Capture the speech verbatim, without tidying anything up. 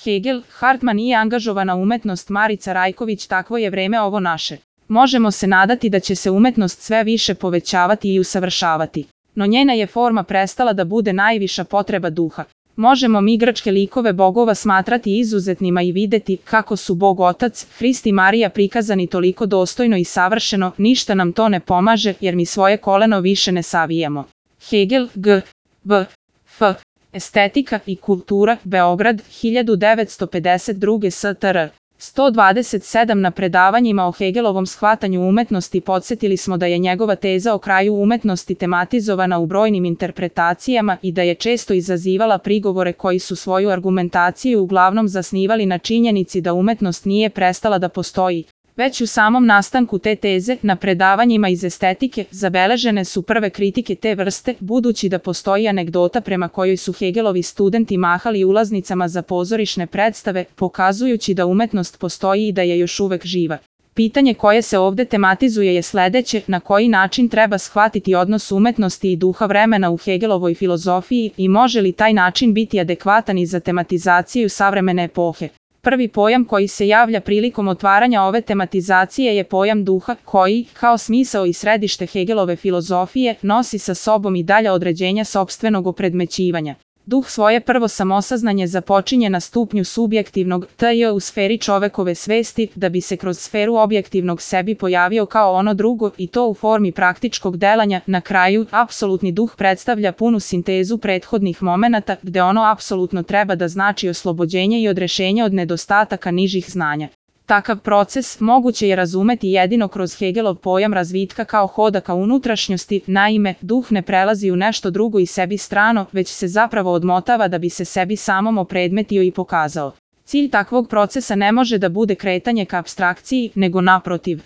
Hegel, Hartman i angažovana umetnost Marica Rajković. Takvo je vreme ovo naše. Možemo se nadati da će se umetnost sve više povećavati i usavršavati. No njena je forma prestala da bude najviša potreba duha. Možemo mi grčke likove bogova smatrati izuzetnima i videti kako su Bog Otac, Hrist i Marija prikazani toliko dostojno i savršeno, ništa nam to ne pomaže jer mi svoje koleno više ne savijamo. Hegel, G. B. F. Estetika i kultura, Beograd, hiljadu devetsto pedeset druge. S T R sto dvadeset sedam. Na predavanjima o Hegelovom shvatanju umetnosti podsjetili smo da je njegova teza o kraju umetnosti tematizovana u brojnim interpretacijama i da je često izazivala prigovore koji su svoju argumentaciju uglavnom zasnivali na činjenici da umetnost nije prestala da postoji. Već u samom nastanku te teze, na predavanjima iz estetike, zabeležene su prve kritike te vrste, budući da postoji anegdota prema kojoj su Hegelovi studenti mahali ulaznicama za pozorišne predstave, pokazujući da umetnost postoji i da je još uvek živa. Pitanje koje se ovde tematizuje je sledeće: na koji način treba shvatiti odnos umetnosti i duha vremena u Hegelovoj filozofiji i može li taj način biti adekvatan i za tematizaciju savremene epohe? Prvi pojam koji se javlja prilikom otvaranja ove tematizacije je pojam duha, koji, kao smisao i središte Hegelove filozofije, nosi sa sobom i dalja određenja sopstvenog opredmećivanja. Duh svoje prvo samosaznanje započinje na stupnju subjektivnog T J u sferi čovekove svesti, da bi se kroz sferu objektivnog sebi pojavio kao ono drugo i to u formi praktičkog delanja. Na kraju, apsolutni duh predstavlja punu sintezu prethodnih momenata, gde ono apsolutno treba da znači oslobođenje i odrešenje od nedostataka nižih znanja. Takav proces moguće je razumeti jedino kroz Hegelov pojam razvitka kao hoda ka unutrašnjosti. Naime, duh ne prelazi u nešto drugo i sebi strano, već se zapravo odmotava da bi se sebi samom opredmetio i pokazao. Cilj takvog procesa ne može da bude kretanje ka apstrakciji, nego naprotiv.